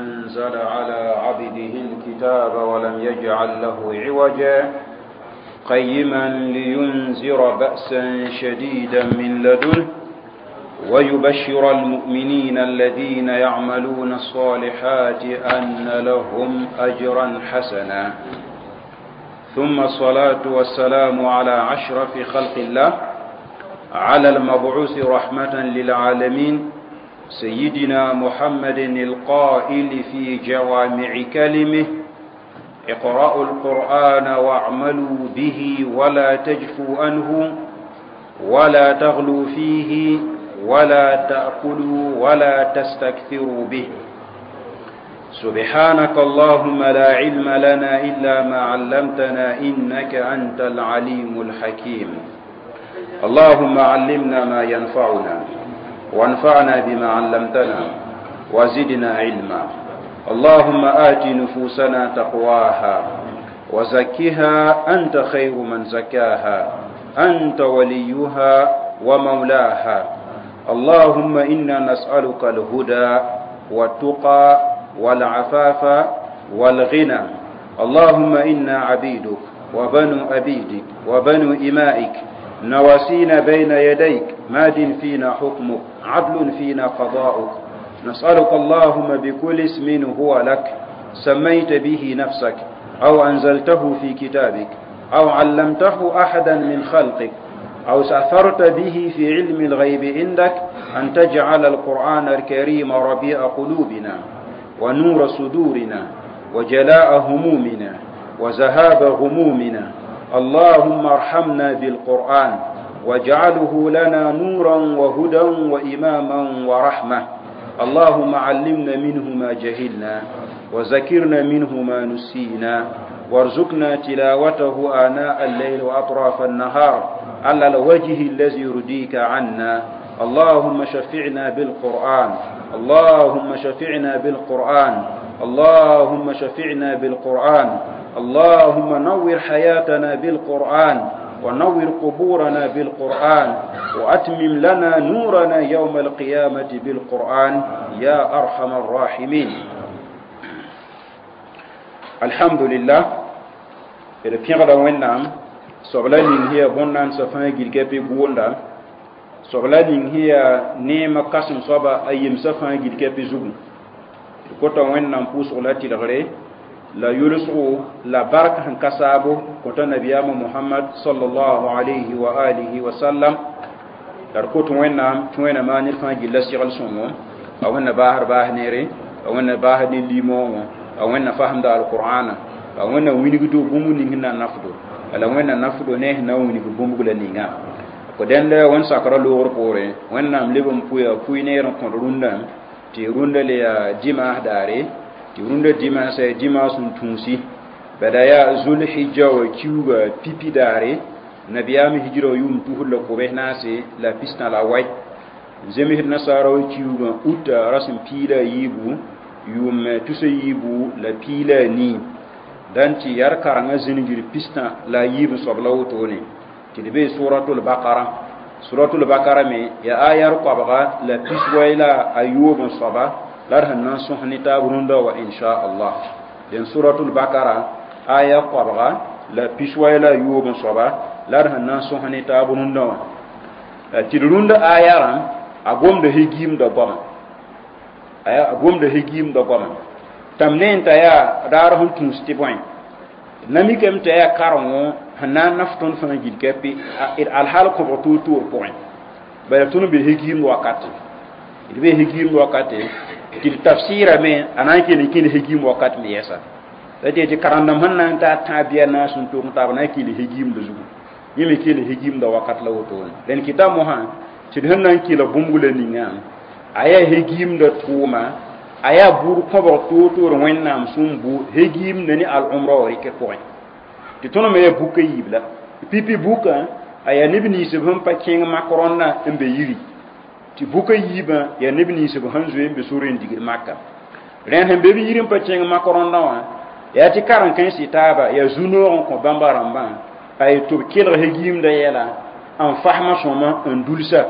أنزل على عبده الكتاب ولم يجعل له عوجا قيما لينذر بأسا شديدا من لدنه ويبشر المؤمنين الذين يعملون الصالحات أن لهم أجرا حسنا. ثم الصلاة والسلام على أشرف خلق الله، على المبعوث رحمة للعالمين، سيدنا محمد القائل في جوامع كلمه: اقرأوا القرآن واعملوا به ولا تجفوا عنه ولا تغلوا فيه ولا تأكلوا ولا تستكثروا به. سبحانك اللهم لا علم لنا إلا ما علمتنا إنك أنت العليم الحكيم. اللهم علمنا ما ينفعنا وانفعنا بما علمتنا وزدنا علما. اللهم آت نفوسنا تقواها وزكها أنت خير من زكاها، أنت وليها ومولاها. اللهم إنا نسألك الهدى والتقى والعفاف والغنى. اللهم إنا عبيدك وبنو عبيدك وبنو إمائك، نواسينا بين يديك، ماد فينا حكمك، عدل فينا قضاؤك. نسألك اللهم بكل اسم هو لك سميت به نفسك، أو أنزلته في كتابك، أو علمته أحدا من خلقك، أو استأثرت به في علم الغيب عندك، أن تجعل القرآن الكريم ربيع قلوبنا ونور صدورنا وجلاء همومنا وذهاب غمومنا. اللهم ارحمنا بالقرآن واجعله لنا نورا وهدى وإماما ورحمة. اللهم علمنا منه ما جهلنا وذكرنا منه ما نسينا، وارزقنا تلاوته آناء الليل وأطراف النهار على الوجه الذي يرضيك عنا. اللهم شفعنا بالقرآن، اللهم شفعنا بالقرآن، اللهم شفعنا بالقرآن. اللهم نور حياتنا بالقرآن، ونور قبورنا بالقرآن، وأتمم لنا نورنا يوم القيامة بالقرآن يا أرحم الراحمين. الحمد لله. D pẽgda Wẽnnaam soabla ning sẽn yaa bõn-naandsã fãa gilga pɩ gʋʋnda, soabla ning sẽn yaa neemã kãsem soaba a yemsã fãa gilga pɩ zugu. D kota Wẽnnaam pʋʋsg la tɩlgre la yʋlsgo la bark sẽn ka saabo kõta nabiyaamã Mohamad sallallahu alayhi wa alihi wa sallam. La d kot Wẽnnaam tɩ Wẽnnaam maa ned fãa gilla segl sõngo, a Wẽnna baasd baas neere, a Wẽnna baasd ne limoogõ, a Wẽnna fasemda alqur'ana, a Wẽnna wilgdo bũmb ning sẽn na n nafdo, la Wẽnna nafdo ne sẽn na n wilg bũmb la ninga. Ko dẽnd wẽnd sakra loogr poorẽ, Wẽnnaam leb n pʋya pʋɩ neer n kõt rũndã tɩ rũndã le yaa dimaas daare, tɩ rũndã dimaasã yaa dimaas n tũusi bada yaa zulhijja wa kiuga pipi daare, nabiyaam hijra wa yʋʋm 2048, zemsd nasaara wa kiugã uta rasem 13, yʋʋm 2014, dãn tɩ yar karengã zĩngr 64 soab la wotone tɩ d bee suratul bakara. Suratul bakara me yaa ayar 29 soaba la d sẽn na n sõs ne taab rũndã wa inchallah. Dẽn suratul bakara aya 29 soaba la d sẽn na n sõs ne taab rũndã wã, tɩ d rũndã ayarã a gomda hegiimda goama, a gomda hegiimda goama tãmb ne n t'a yaa raar sẽn tũus tɩ bõe namikame t'a yaa karengo sẽn na n naf tõnd fãa gilga pɩ alhaal kõbg toor-toor pʋgẽ. Bala tõnd be hegiimd wakate, d be hegiimd wakate tɩ d tafsɩɩrame a na n kell n kẽnd hegiim wakat me yɛsa. La tɩ tɩ karendãmb sẽn na n taa tãab bɩa naas n tog n taab na n kell hegiimda zugu, yẽ me kell hegiimda wakat la wotone. Dẽn kɩta mosã tɩ d sẽn na n kɩla bũmb la ninga a yaa hegiimda tʋʋma, a yaa buud kõbg toor-toor Wẽnnaam sẽn bu hegiimda ne al-umra wa rɩkr pʋgẽ. Tɩ tõnd me yaa buka yiib la pipi bukã a yaa neb ninsb sẽn pa kẽng mak rõndã n be yiri, tɩ buka yiibã yaa neb ninsb sẽn zoe n be sore n digd maka. Rẽnd sẽn be b yir n pa kẽng mak rõndã wã yaa tɩ karen-kãensɩ taaba yaa zu-noog n kõ bãmba rãmbã a ye tɩ b kelg hegiimda yɛla n fasma sõma n dulsa.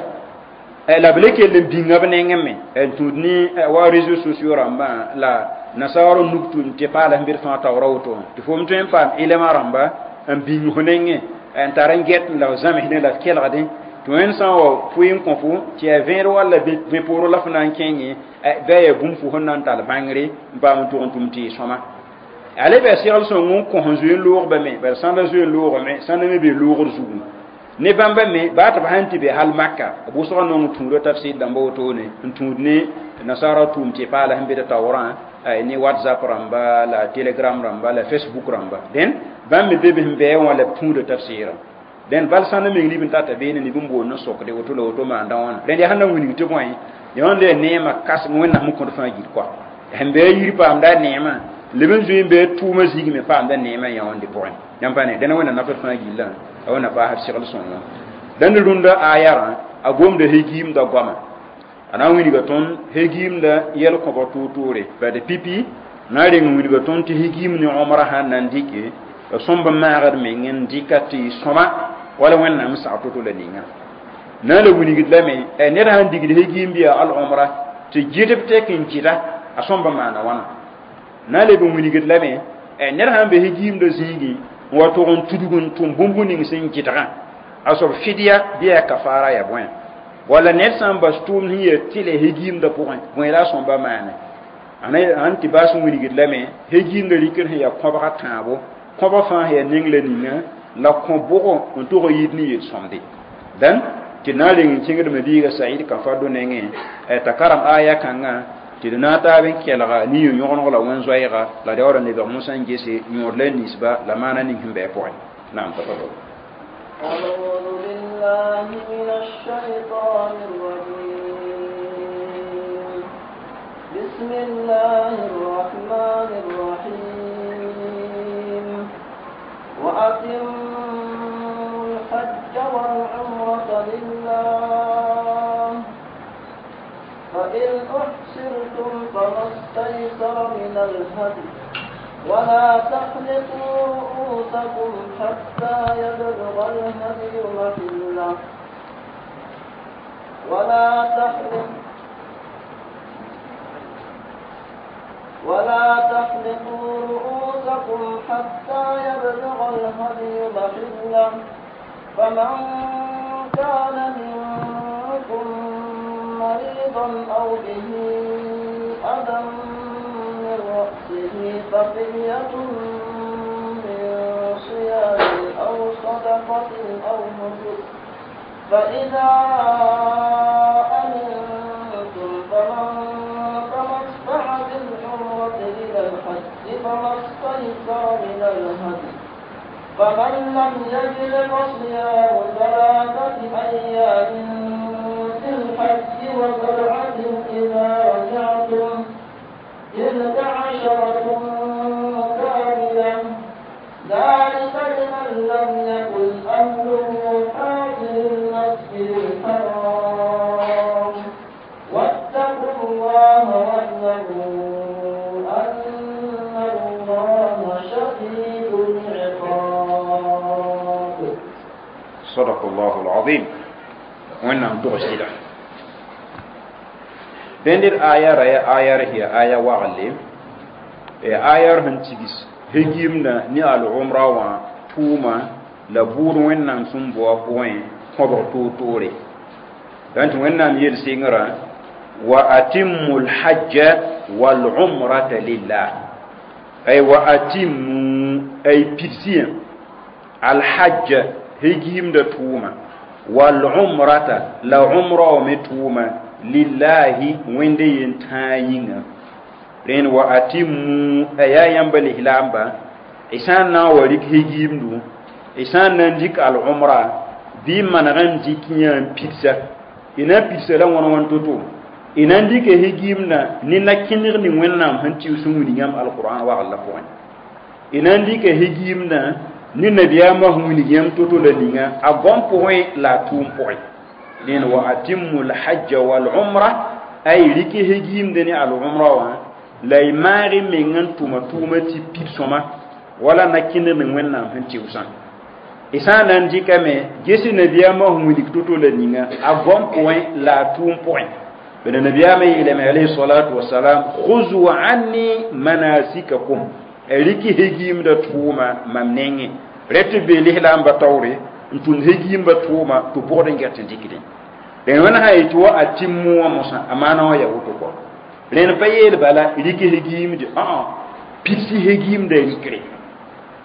La b le kell n bĩnga b nengẽ me n tũud ne wa réseaux sociaux rãmbã la nasaar n nuk tũud tɩ paala sẽn bɩd fãa taoora woto tɩ fo m tõe n paam ilma rãmba n bĩng fo nengẽ n tar n get la f zãmsdẽ la f kelgdẽ tɩ wẽnd sã n wa pʋɩ n kõ fo tɩ yaa vẽed walla vẽ poorẽ la fo na n kẽngẽ bɩ a yaa bũmb fo sẽn na n tall bãngre n paam n tʋg n tʋm tɩ y sõma a le bɩ segl sõng n kõ sẽn zoe n loogba me bala sãnda zoe n loogame sãnda me bee loogr zugu ne bãmba me baa tɩ b sãn tɩ be hal maka b wʋsga nong tũuda tafsɩr dãmba wotone n tũud ne nasaara tʋʋm tɩ paala sẽn be d taoorã ne whatsapp rãmba la telegram rãmba la facebook rãmba dẽn bãmb me be be sẽn bɛɛ wã la b tũuda tafsɩɩrã dẽn bal sãnd meng nib n tata beene nib n boond n sokde woto la woto maanda wãna rẽnd yaa sẽn na wilg tɩ bõe yãnd yaa neemã kãsem wẽnnaam n kõt fãa gil koa sẽn bɩ a yir paamda neemã leb n zoe n bɩ a tʋʋmã zĩig me paamda neemã yãonde pʋgẽ yãmb pa ne dẽna wẽnna nafd fãa gillã a wẽnna paasd segl sõngã dãnd rũndã ayarã a gomda hegiimda goama a na n wilga tõnd hegiimda yɛl kõbg tʋʋr-tʋʋre bad pipi na n reng n wilga tõnd tɩ hegiim ne omra sãn na n dɩke b sõmb n maagd meng n dɩka tɩ sõma wala wẽnnaam sag to-to la ninga na n la wilgd lame ned sãn digd hegiim bɩ yaa al-omra tɩ gɩdb tek n gɩda a sõmb n maana wãna na n leb n wilgd lame ned sãn be hegiimda zĩigẽ n wa tʋg n tudg n tʋm bũmb ning sẽn gɩdgã a soab fidya bɩ yaa kafara ya bõe walla ned sã n bas tʋʋmd sẽn yaa tɩlɛ hegiimda pʋgẽ bõe la a sõmba maane ãn tɩ baas n wilgd lame hegiimda rikr sẽn yaa kõbga tãabo kõbg fãa sẽn yaa neng la ninga la kõ bʋgo n tʋg n yit ne yel-sõmde dãn tɩ na n reng n kẽngdme biiga Saɩd Kafado nengẽ t'a karem aya kãngã tɩ d na n taab n kelga ne yõ-yõgeneg la wẽn-zoɛɛga la daoora lebg mosã n gese yõod la ninsba la maana ning sẽn bɩ a pʋgẽ naam tafadal. أعوذ بالله من الشيطان الرجيم بسم الله الرحمن الرحيم وأتموا الحج والعمرة لله فإن أحصرتم فما استيسر من الهدي ولا تحلقوا رؤوسكم حتى يبلغ الهدي محله ولا تحلقوا رؤوسكم حتى يبلغ الهدي محله فمن كان منكم مريضا أو به أذى من رأسه ففدية من صيام أو صدقة أو نسك فإذا أمنتم فمن تمتع بالعمرة إلى الحج فما استيسر من الهدي فمن لم يجد فصيام 3 أيام في الحج و7 إذا رجعتم تلك 10 كاملة ذلك لمن لم يكن أهله حاضر المسجد الحرام واتقوا الله واعلموا أن الله شديد العقاب. صدق الله العظيم. وإنهم تغسل dẽnd aya ra yaa aya r aya wagle aya r sẽn tigis hegiimdã ne al-umra wã tʋʋma la bʋʋd wẽnnaam sẽn bao a pʋgẽ kõbg toor-toore dãn tɩ wẽnnaam yel sengrã wa atimmu lhajja walumrata lillah ay wa atimmu ay pidsiyã alhajja hegiimda tʋʋma walumrata la umra wã me tʋʋma lillahi wẽnde yen-tãa yĩnga rẽnd wa atimmu a yaa yãmba lislaamba y sã n na n wa rɩk hegiimdu y sã n na n dɩk al-umra bɩ n maneg n dɩk yã n pidsa y na n pidsa la wãn wãn to-to y na n dɩka hegiimdã ne na-kẽneg ning wẽnnaam sẽn tɩʋs n wilg yãmb alqur'an wagl la pʋgẽ y na n dɩka hegiimdã ne nabiyaamã sẽn wilg yãmb to-to la ninga a goam pʋgẽ la a tʋʋm pʋgẽ dẽn wa atimmu lhajja walumra ay rɩk hegiimdẽ ne al-umra wã la y maag y meng n tʋma tʋʋmã tɩ pid sõma wala na-kẽndg ning wẽnnaam sẽn tɩʋsã Y sã n na n dɩkame ges nabiyaamã sẽn wilg to-to la ninga a goam pʋgẽ la a tʋʋm pʋgẽ bala nabiyaamã yeelame alayhi salatu wasalam khuzu anni manasikakum rɩk hegiimda tʋʋma mam nengẽ rẽ tɩ be lislaamba taoore n tʋmd hegiimba tʋʋma tɩ bʋgd n get n dɩkdẽ rẽnd wẽnd sã yetɩ wa a tɩm wã mosã a maana wã yaa woto kɔ rẽnd pa yeel bala rɩk hegiimde ã pidsi hegiimda rɩkre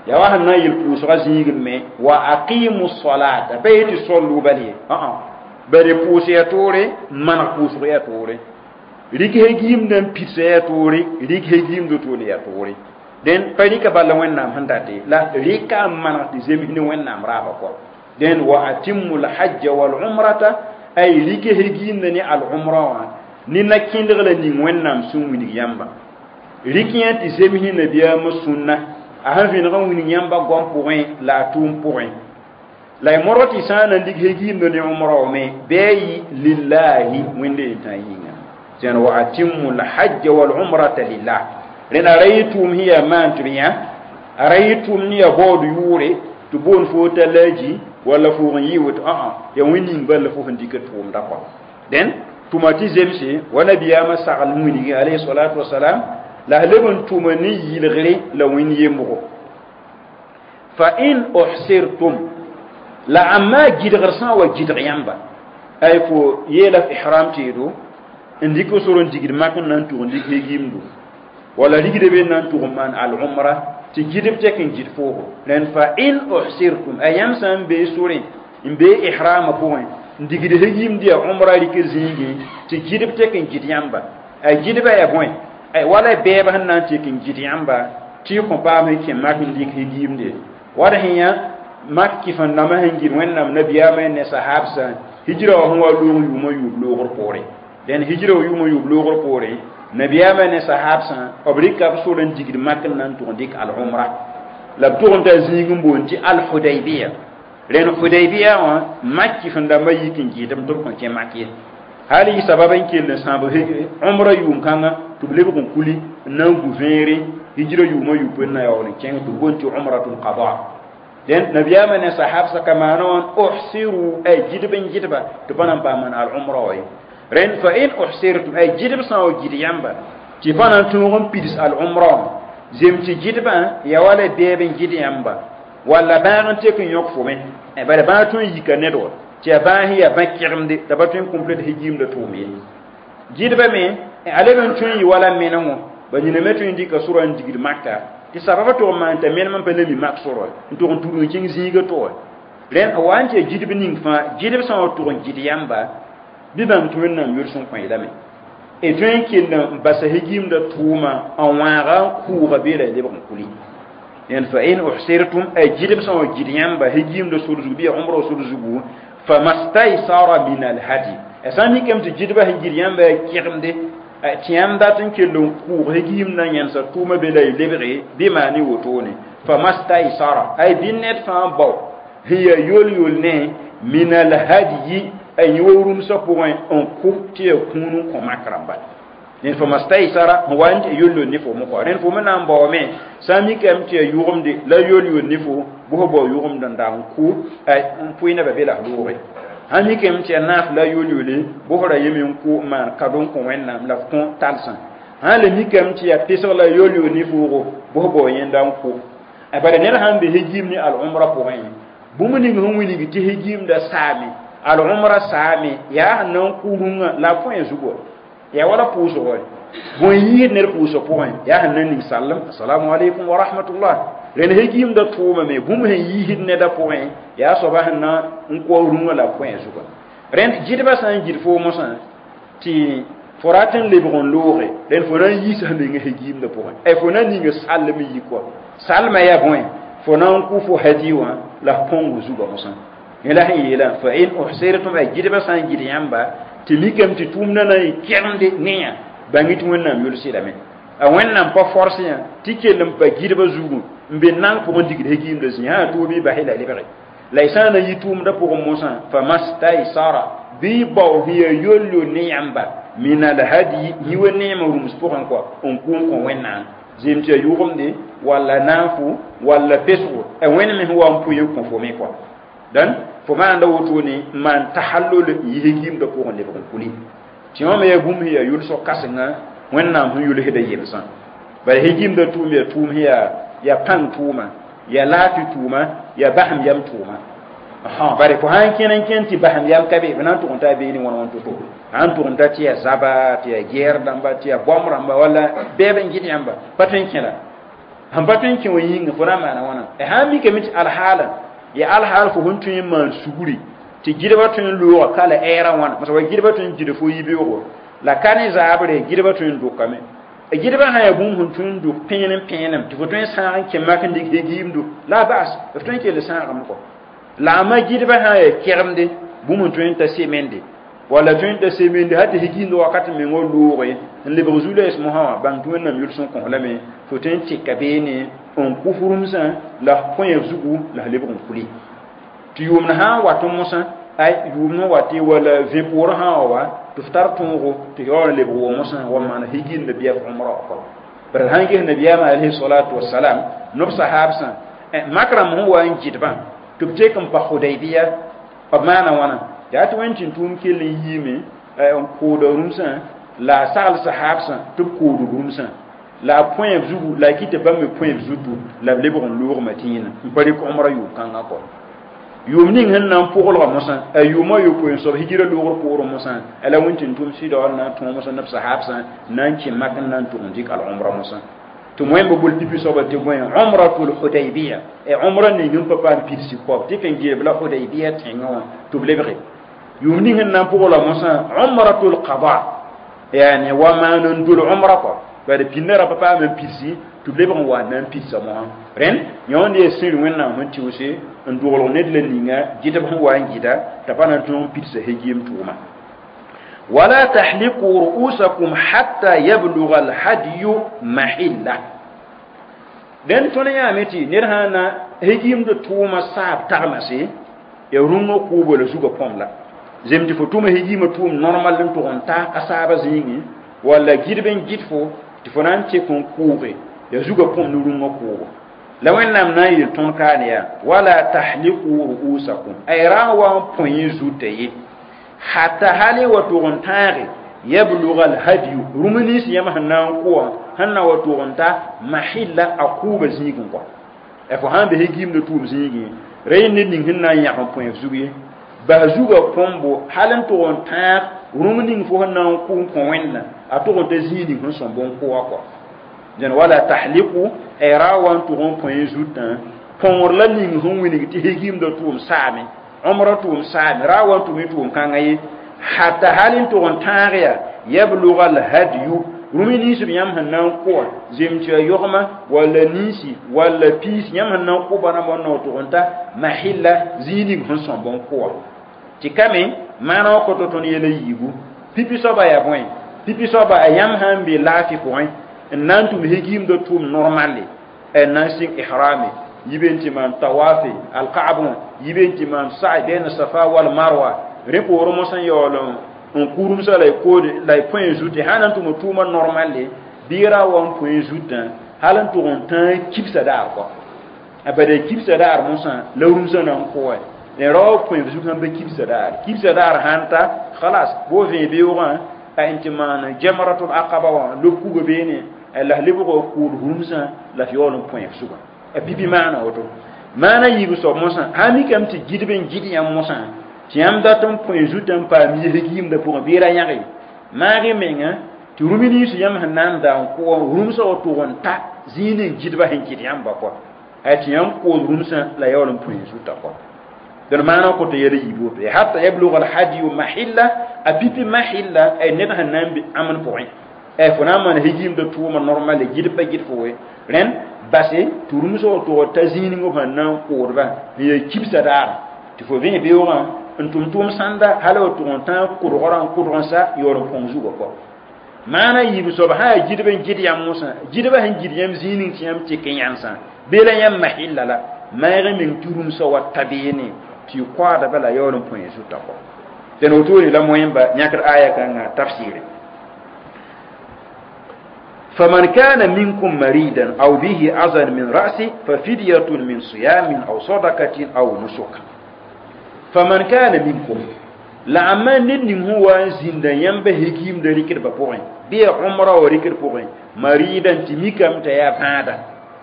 ya wa sẽn na n yel pʋʋsgã zĩigẽ me wa aqimu salata pa yetɩ sollu bal ye ã bari pʋʋs ya toore maneg pʋʋsg ya toore rɩk hegiimdã n pidsa ya toore rɩk hegiimd toone ya toore dẽn pa rɩka bala wẽnnaam sẽn date la rɩka n maneg tɩ zems ne wẽnnaam raaba kɔ dẽn wa atimmu lhajja walumrata ay rɩk hegiimdã ne al-umra wã ne na-kẽndg la ning wẽnnaam sẽn wilg yãmba rɩk yã tɩ zems ne nabiyaamã sũnna a sẽn vẽneg n wilg yãmba goam pʋgẽ la a tʋʋm pʋgẽ la y modg tɩ sã n na n dig hegiimd ne umra wã me bɩ a yɩ lillahi wẽnde yetã yĩnga tẽn wa atimmu lhajja walumrata lillah rẽnd a ra yɩ tʋʋm sẽn yaa maan tɩ b yã a ra yɩ tʋʋm ne yaa baood yʋʋre tɩ boond fo t'a laaji walla foog n yɩ woto ã yaa wẽn ning bal la fo sẽn dɩk tʋʋmda kɔ dẽn tʋma tɩ zemse wa nabiyaamã sagl wilgi alayhi salatu wasalam la a leb n tʋma ne yɩlgre la wẽnd yembgo fa in uhsirtum la ãmma gɩdgr sã n wa gɩdg yãmba ay fo yeela f ihram teedo n dɩk sor n digd mak n na n tʋg n dɩk hegiimdo wala rigde be na n tʋg n maan al-umra tɩ gɩdb tek n gɩd foogo rẽnd fa in uhsirtum a yãmb sã n bee sorẽ n bee ihrama pʋgẽ n digd hegiimd yaa umra rɩkr zĩigẽ tɩ gɩdb tek n gɩd yãmba a gɩdbã yaa bõe ay wala bɛɛb sẽn na n tek n gɩd yãmba tɩ y kõ paam sẽn kẽ mak n dɩk hegiimde wad sẽn yã mak kɩf n dãmbã sẽn gɩd wẽnnaam nabiyaamã ne sahabsã hijra wã sẽn wa loog yʋʋmã yʋʋb loogr poorẽ dẽn hijra wa yʋʋmã yʋʋb loogr poorẽ nabiyaamã ne sahabsã b rɩka b sor n digd mak n na n tʋg n dɩk al-umra la b tʋg n ta zĩig n boond tɩ al-hudaybiya rẽnd hudaybiya wã mak kɩf n dãmbã yik n gɩɩdem tɩ b kõn kẽ mak ye hal yɩ sabab n kell n sãab umra yʋʋm-kãngã tɩ b lebg n kuli n na n gu vẽere hijra yʋʋmã yʋʋb n na yaool n kẽng tɩ b boond tɩ umratul qada dẽn nabiyaamã ne sahabsã ka maana wã uhsiru ay gɩdb n gɩdba tɩ pa na n paam maan al-umra wa ye rẽnd fa in uhsirtum ay gɩdb sã n wa gɩd yãmba tɩ pa na n tõog n pids al-umra wã zem tɩ gɩdbã ya wala bɛɛb n gɩd yãmba walla bãag n tek n yõk fo me bala bãag tõe n yika ned wa tɩ yaa bãas yaa bã-kẽgemde t'a pa tõe n complete hegiimda tʋʋm ye gɩdbã me a leb n tõe n yɩ wala menengo ba nina me tõe n dɩka sora n digd maka tɩ sababã tʋg n maan t'a menem n pa le mi mak sora n tʋg n tudg n kẽng zĩigã tʋga rẽnd a wa n tɩ yaa gɩdb ning fãa gɩdb sã n wa tʋg n gɩd yãmba bɩ bãmb tɩ wẽnnaam yols n kõ lame y tõe n kell n basa hegiimda tʋʋma n wãaga n kʋʋga beela y lebg n kuli rẽnd fa in uhsirtum ay gɩdb sã n wa gɩd yãmba hegiimda sor zugu bɩ ya umra sor zugu famastaysara min alhadi a sã n mikame tɩ gɩdbã sẽn gɩd yãmba yaa kẽgemde tɩ yãmb dat n kell n kʋʋg hegiimdã yẽnsa tʋʋma be la y lebge bɩ maane wotone famastaysara ay bɩ ned fãa bao sẽn yaa yol-yol ne min alhadyi ay yẽ wa rũmsã pʋgẽ n kʋ tɩ yaa kũun n kõ mak rãmba rẽnd famastaysara sẽn wa n tɩ yol-yol ne fo mokɔ rẽnd fo me na n baoome sã n mikame tɩ yaa yʋgemde la yol-yol ne fo bʋs bao yʋgemd n da n kʋ n pʋɩ nebã be la f looge sãn mikame tɩ yaa naaf la yol-yole bʋsra yeme n kʋ n maan kado n kõ wẽnnaam la f kõ talsã sã le mikame tɩ yaa pesg la yol-yol ne foogo bʋs bao yẽnda n kʋ bala ned sãn be hegiim ne al-umra pʋgẽ bũmb ning sẽn wilg tɩ hegiimda saame al-umra saame yaa sẽn na n kʋ rũngã la a põe zugu yaa wala pʋʋsgo bõe yiid ned pʋʋsg pʋgẽ yaa sẽn na n ning sallem assalamu alaikum wa rahmatullah rẽnd hegiimda tʋʋma me bũmb sẽn yiisd neda pʋgẽ yaa soaba sẽn na n kʋa rũngã la a põe zuga rẽnd gɩdbã sã n gɩd foo mosã tɩ fo rat n lebg n looge rẽnd fo na n yiisa menga hegiimda pʋgẽ ay fo na n ninga sallem n yi kɔa salmã yaa bõe fo na n kʋ fo hadi wã la f põng zuga mosã yẽ la sẽn yeelã fa in uhsirtum ay gɩdbã sã n gɩd yãmba tɩ mikame tɩ tʋʋmdã na n yɩ kẽgemde ne yã bãng tɩ wẽnnaam yolsedame a wẽnnaam pa forse yã tɩ kell n pa gɩdbã zugu n be nang pʋgẽ digd hegiimda zĩ sã tʋʋb bɩ basɩ la lebge la y sã n na yɩ tʋʋmdã pʋgẽ mosã famastaysara bɩ bao sẽn yaa yol-yol ne yãmba min alhadi yĩ wa neemã rũms pʋgẽ kɔ n kʋ n kõ wẽnnaam Zem tɩ ya yʋgemde walla naafo walla pesgo a wẽnd me sẽn wa n pʋɩ n kõ fo me kɔa dãn fo maanda wotone n maan tahallul n yi hegiimdã pʋgẽ lebg n kuli tɩ wã me yaa bũmb sẽn yaa yʋlsg kãsenga wẽnnaam sẽn yʋlsda yemsã bala hegiimdã tʋʋm yaa tʋʋm sẽn yaa pãng tʋʋma yaa laafɩ tʋʋma yaa basem yam tʋʋma bare fo sãn kẽn n kẽn tɩ basem yam ka be b na n tʋg n taa beene wãn wãn to-to sãn tʋg n ta tɩ yaa zaba tɩ yaa gɛɛr dãmba tɩ yaa bõmb rãmba walla bɛɛb n gɩd yãmba pa tõe n kẽla sẽn pa tõe n kẽ wã yĩnga fo na n maana wãna sãn mikame tɩ alhaala ya alhaal fo sẽn tõe n maan sugri tɩ gɩdbã tõe n looga ka la ɛɛrã wãna masã wa gɩdbã tõe n gɩd fo yibeoogo la ka ne zaabre gɩdbã tõe n dʋkame gɩdbã sã yaa bũmb sẽn tõe n dʋk pẽenem pẽenem tɩ fo tõe n sãag n kẽ mak n dɩk hegiimdu la bas f tõe n kell sãagame kɔ la a ma gɩdbã sã n yaa kɛgemde bũmb n tõe n ta semende walla tõe n ta semende hal tɩ hegiimd wakat mengã looge n lebg zu-loees mosã wã bãng tɩ wẽnnaam yʋls n kõs lame fo tõe n tɩka beene n kʋf rũmsã la f põe f zugu la f lebg n kuli tɩ yʋʋmd sã n wat mosã ay yʋʋmd n wat walla vẽ poorẽ sã n wa tɩ f tar tõogo tɩ yaool n lebg wa mosã wa maan hegiimd bɩa f umra wã kɔ bara sãn ges nabiyaamã alayhi salatu wasalam nob sahaabsã mak rãmb sẽn wa n gɩdbã tɩ b tek n pa Hudaybiya b maana wãna yaa tɩ wẽnd tɩ tʋʋm kell n yiime n kooda rũmsã la a sagl sahaabsã tɩ b kood rũmsã la a põe b zugu la a kɩ tɩ bãmb me põe b zutu la b lebg n loog Madina n pa rɩk umra yʋʋm-kãngã kɔ yʋʋm ning sẽn na n pʋglga mosã a yʋʋmã yopoe n soab hijira loogr poorẽ mosã a la wẽn tɩ n tʋm sɩda n na n tõog mosã neb sahaabsã na n kẽ mak n na n tʋg n dɩk al-umra mosã tɩ wẽmb bol pipi soaba tɩ bõe umratul hudaybiya e umra ning n pa paam pidsi koab tɩ ken geeb la hudaybiya tẽngã wã tɩ b lebge yʋʋm ning sẽn na n pʋgla mosã umratul qada yani wa maan n dol umra kɔ bala pĩndã ra pa paam n pidsi tɩ b lebg n wa n na n pidsa mosã rẽnd yõ n yaa sĩr wẽnnaam sẽn tɩʋse n doglg ned la ninga gɩdb sẽn wa n gɩda t'a pa na n tõog n pidsa hegiim tʋʋma wala tahliqu ru'usakum hatta yablugha alhadyu mahilla dẽn tõnd yãame tɩ ned sã na hegiimd tʋʋma saab tagmase ya rũngã kʋʋbã la zugã põm la zem tɩ fo tʋma hegiimã tʋʋm normal n tʋg n ta a saabã zĩigẽ walla gɩdb n gɩd fo tɩ fo na n tek n kʋʋge ya zugã põm ne rũngã kʋʋbo la wẽnnaam na n yel tõnd kaane yaa wala tahliqu ru'usakum ay ra n wa n põe yẽ zutã ye hatta hali wa tʋg n tãage yablugha alhadyu rũm nins yãmb sẽn na n kʋ wã sẽn na wa tʋg n ta mahilla a kʋʋbã zĩigẽ kɔ fo sãn be hegiimdã tʋʋm zĩigẽ ra yẽ ned ning sẽn na n yãg n põe f zug ye bas zugã põmbo hal n tʋg n tãag rũm ning fo sẽn na n kʋ n kõ wẽnna a tʋg n ta zĩig ning sẽn sõmb n kʋ wã kɔ dẽn wala tahliqu ay ra wa n tʋg n põe zutã põngr la ning sẽn wilg tɩ hegiimdã tʋʋm saame umra tʋʋm saame ra wa n tʋm tʋʋm kãngã ye hatta hal n tʋg n tãag yaa yablugha alhadyu rũm nins b yãmb sẽn na n kʋ wã zem tɩ ya yogma walla ninsi walla piis yãmb sẽn na n kʋ bãnã n na tʋg n ta mahilla zĩig ning sẽn sõmb n kʋ wã tɩ kame maana wã kõtɔ tõnd yɛla yiibu pipi soaba yaa bõe pipi soaba a yãmb sã n be laafɩ pʋgẽ n na n tʋm hegiimdã tʋʋm normale n na n sɩng ihrame yibe n tɩ maan tawafe alkaab wã yibe n tɩ maan sa'i bɛɛn safa wal marwa rẽ poorẽ mosã yaool n kurumsã la y koode la y põe zutẽ sã na n tʋm tʋʋmã normale bɩ ra wa n põe zutã hal n tʋg n tãag kibsã daar kɔ a bada kibsã daar mosã la rũmsã na n kʋ wã ne ra wa põe zug sãn pa kibsã daar kibsã daar sãn ta khalas bo vẽ beoogã a n tɩ maan jamratul aqaba wã lob kuga beene la lebg kʋʋd rũmsã la f yaool n põe f zugã a pipi maana woto maana yiib soab mosã sã mikame tɩ gɩdb n gɩd yãmb mosã tɩ yãmb dat n põe zutã n paam yɛsg pʋgẽ bɩ ra yãge maag y menga tɩ rũm nins yãmb sẽn na n da n kʋ rũmsã wa tʋg n ta zĩig ning gɩdbã sẽn kɩt yãmba kɔ a tɩ yãmb kood rũmsã la yaool n põe zutã kɔ dẽn maana kõtɔ yɛla yiib woto hatta yablugha alhadyu mahilla a pipi mahilla ay ned sẽn na n be ãmn pʋgẽ fo na n maan hegiimdã tʋʋma normale gɩd pa gɩd fo we rẽnd base tɩ rũmsã wa tʋg ta zĩig ning b sẽn na n koodba n yaa kibsã daar tɩ fo vẽ beoogã n tʋm tʋʋm sãnda hal wa tʋg n tãag kʋdgrã n kʋdg n sa yaool n põng zugã kɔ maana yiib soab sã yaa gɩdb n gɩd yãmb mosã gɩdbã sẽn gɩd yãmb zĩig ning tɩ yãmb tek n yãnsã bee la yãmb mahilla la maag y meng tɩ rũmsã wa ta beene tɩ y koaadba la yaool n põe zutã kɔ dẽn wotone la moẽmba yãkd aya kãngã tafsɩɩre فمن كان منكم مريدا أو به أذى من رأسه ففدية من صيام أو صدقة أو نسك فمن كان منكم la amma ned ning sẽn wa n zĩnda yãmba hegiimda rɩkdbã pʋgẽ bɩ ya omra wa rɩkd pʋgẽ mariidan tɩ mikame t'a yaa bãada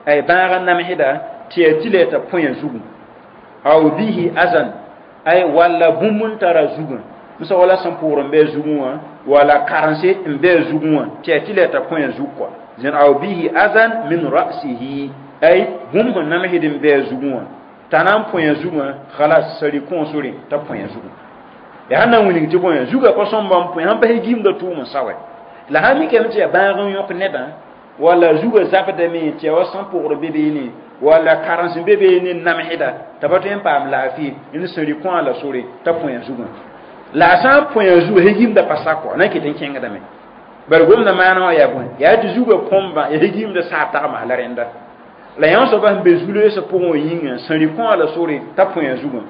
ay bãag n namsda tɩ yaa tɩ la t'a põyã zugu aw bihi azan ay walla bũmb n tara zugã msa wala sẽn pʋgr n bɩ a zugẽ wã wala karense n bɩ a zugẽ wã tɩ yaa tɩ la t'a põyã zug kɔa zẽn aw bihi azan min ra'sihi ay bũmb sẽn namsd n bɩ a zugẽ wã t'a na n põyã zugã khalas sari kõosre t'a põyã zugã ya sãn na n wilg tɩ bõe zugã pa sõmba n põe sãn pa gimda tʋʋm n sa wɛ la sãn mikame tɩ yaa bãag n yõk nedã walla zugã zabdame tɩ yaa wa sẽn pʋgr be beene walla karens n be beene n namsda t'a pa tõe n paam laafɩ n sẽn rɩ kõa la sore t'a põe zugã la a sã n põe zugã hegimda pa sak wã na n ket n kẽngdame bala gomda maana wã yaa bõe yaa tɩ zugã põmba ya hegimda saab tagmas la rẽnda la yã soaba sẽn be zu-loeesã pʋgẽ wã yĩnga sẽn rɩ kõa la sore t'a põe zugã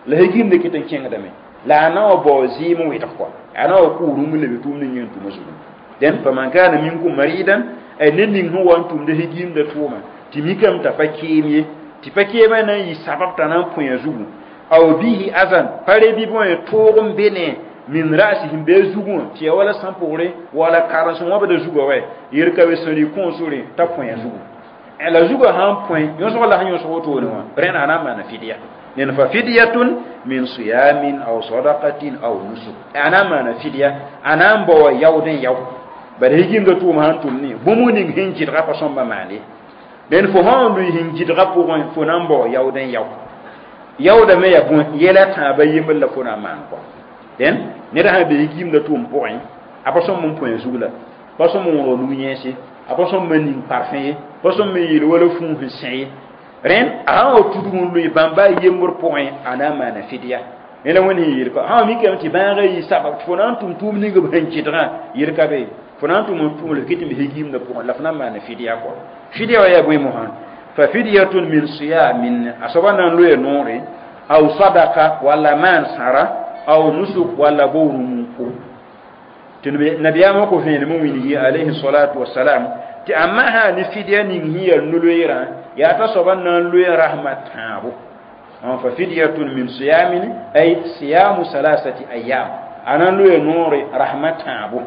la hegimda ket n kẽngdame la a na wa bao zɩɩm n wɩdg kɔa a na wa kʋʋ rũm n lebe tʋʋmd n yẽn tʋma zugu dẽn faman kana minkum maridan ay ned ning sẽn wa n tʋmda hegimda tʋʋma tɩ mikame t'a pa keem ye tɩ pa keemã na n yɩ sabab t'a na n põe zugu aw bihi azan pa re bɩ bõe toog n be ne min ra'sihim be zugã tɩ yaa wala sã pʋgre wala karens n wãbda zugã wɛ yer ka be sẽn rɩ kõosre t'a põe zugu la zugã sãn põe yõsg la sẽn yõsg wotone wã rẽnd a na n maana fidya nen fa fidyatun min siyamin aw sadaqatin aw nusuk ana maana fidya ana n bao yaood n yao bala higimda tʋʋm sãn tʋm ne bũmb ning sẽn gɩdga pa sõmba maane dẽn fo sã n lʋɩ sẽn gɩdga pʋgẽ fo na n bao yaood n yao yaoodame yaa bõe yɛla tãabã yembr la fo na n maan kɔa dẽn ned sã be higimda tʋʋm pʋgẽ a pa sõmb n põe zug la pa sõmb n wõrg nug-yẽese a pa sõmb n ning parfẽ ye pa sõmb n yeel wala fũus n sẽ ye rẽnd a sã wa tudg n lʋɩ bãmba yembr pʋgẽ a na n maana fidya yẽla wẽnd sẽn yeel kɔ sã wa mikame tɩ bãagã yɩ sabab tɩ fo na n tʋm tʋʋm ning b sẽn kɩdgã yel ka be fo na n tʋm n tʋm la kɩt n be higimdã pʋgẽ la fo na n maana fidya kɔ fidya wã yaa bõe mosã fa fidyatun min siyamin a soaba na n loe noore aw sadaka walla maan sãra aw nusuk walla bo rũm n kʋ tɩ nabiyaamã kõ vẽenem n wilgi alayhi salatu wasalam tɩ a masã ne fidya ning sẽn yaa no-loeerã yaa t'a soaba na n loe rasmã tãabo fa fidyatun min siyamin ay siyamu salasati ayam a na n loe noore rasmã tãabo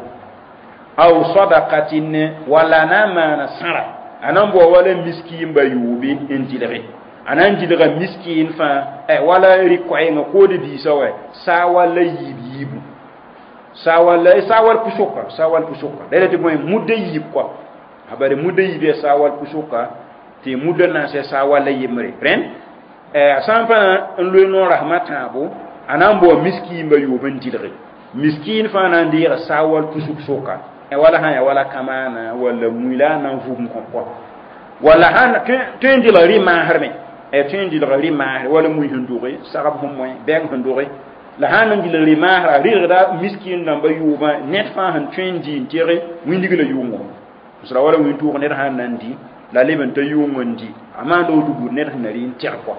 aw sadakatin walla a na n maana sãra a na n bao wala miskiin ba yoobe n dɩlge a na n dɩlga miskiin fãa wala rɩ-koɛɛngã kood biisã wɛ saa walla yiib yiibu saa walla saa wal pʋsʋka saa wal pʋsʋka la tɩ bõe mudda yiib kɔa a bare mudda yiib yaa saa wal pʋsʋka tɩ mudda naasɛ saa walla yembre rẽnd a sã n pãa n loe noor rasmã tãabo a na n bao miskiin ba yoob n dɩlge miskiin fãa na n deega saa wal pʋsʋk sʋka wala sã yaa wala kamaana walla mui la a na n vʋm kõ kɔa walla sãn tõe n dɩlg rɩ-maasrmẽ tõe n dɩlg rɩ-maasre wala mui sẽn doge sagb sẽn moẽ bɛng sẽn doge la sãn n dɩlg rɩ-maasra rɩlgda miskiin dãmba yoobã ned fãa sẽn tõe n dɩ n teg wĩndg la yʋʋngõ sra wala wĩntʋʋg ned sãn na n dɩ la leb n ta yʋʋng n dɩ a maanda woto buud ned sẽn na rɩ n teg kɔa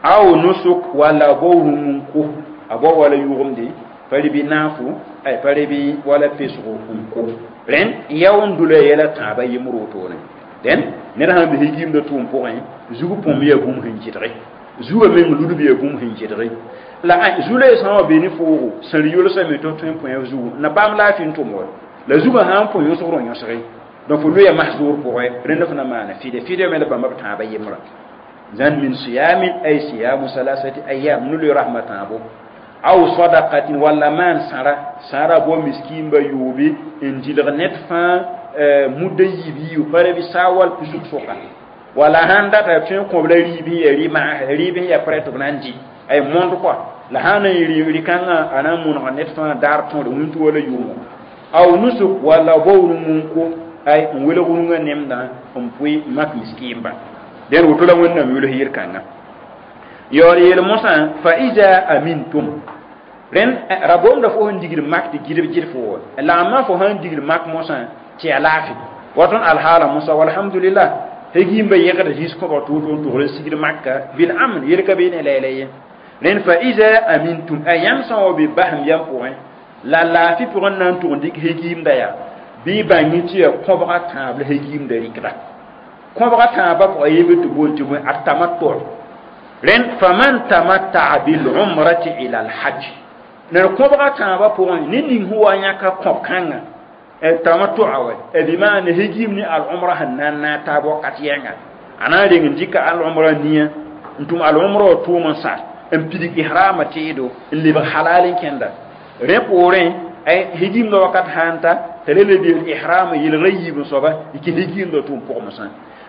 aw nusuk walla a bao rũm n kʋ a bao wala yʋgemde pa rɩ bɩ naafo ay pa rɩ bɩ wala pesgo n kʋ rẽnd yao n dʋla yɛla tãabã yembr wotone dẽn ned sãn be higimda tʋʋm pʋgẽ zug põmb yaa bũmb sẽn kɩdge zugã meng ludb yaa bũmb sẽn kɩdge la zu-loeesã wã be ne foogo sẽn rɩ yolsame tɩ tõe n põe zugu na paam laafɩ n tʋm wa la zugã sã n põe yõsgrõ yõsge donc fo loeya masdoor pʋgẽ rẽnd fo na maana fɩdɛ fɩdɛ me la bãmba b tãabã yembrã zãn min siyamin ay siyamu salasati ayam nu loe rasmã tãabo aw sadaqatin walla maan sãra sãra bao miskiinba yoobe n dɩlg ned fãa mudda yiib yiib pa ra bɩ saa wal pʋsg sʋka wala sãn data tõe n kõb la rɩɩb sẽn yaa rɩ-maasre rɩɩb sẽn yaa prɛt b na n dɩ ay mõnd kɔa la sãn na n rɩ-kãngã a na n mõnega ned fãa daar tõore wĩntũ wala yʋʋngõ aw nusuk walla bao rũm n kʋ ay n welg rũngã nemdã n pʋɩ mak miskiinba dẽn woto la Wẽnnaam yʋls yel-kãngã yaool yeel mosã fa ida amintum rẽnd ra-boomda fo sẽn digd mak tɩ gɩdb gɩd fo wa la amma fo sãn digd mak mosã tɩ yaa laafɩ wa tõnd alhaala mosa walhamdulillah hegimba yẽgd zĩis kõbg tʋʋ tʋ n tʋgr n sigd maka bil amn yel ka beene lɛɛlɛ ye rẽnd fa ida amintum a yãmb sã n wa be basem yam pʋgẽ la laafɩ pʋgẽ na n tʋg n dɩk hegiimda yaa Bɩ bãng tɩ yaa kõbga tãab la hegimda rɩkda kõbga tãabã pʋga yembe tɩ boond tɩ bõe at-tamattu rẽnd faman tamatta'a bil umrati ila al-hajj ned kõbga tãabã pʋgẽ ned ning sẽn wa yãka kõb-kãngã tamattu'a wa bɩ maana hegim ne al-umra sẽn na n naag taab wakat yɛnga a na n reng n dɩka al-umra nia n tʋm al-umra wã tʋʋm n sa n pidig ihrama teedo n lebg halal n kẽnda rẽ poorẽ hegimda wakat sã n ta t'a le lebeel ihrama yelgra yiib n soaba y kɩ hegimda tʋʋm pʋgmesã